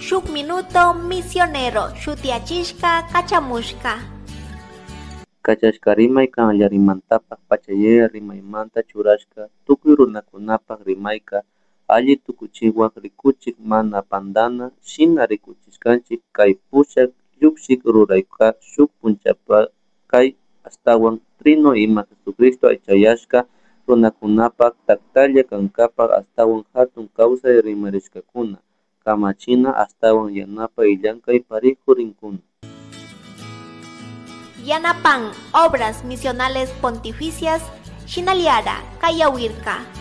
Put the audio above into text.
Shuk Minuto Misionero shutiyachishka kachamushka. Kachashka rimay kallarimantapak pachayaya rimaymanta churashka tukuy runakunapak rimayka alli tukuchiwak rikuchik mana pantana shina rikuchishkanchik kay pushak llukshik rurayka shuk punchapakay ashtawan Trino ima Jesucristo aychayashka runakunapak taktalla kankapak ashtawan hatun kawsay rimarishkakuna kamachina ashtawan yanapay llankay parihu rinkuna. Yanapan Obras Misionales Pontificias, Shinaliara, Kayawirka.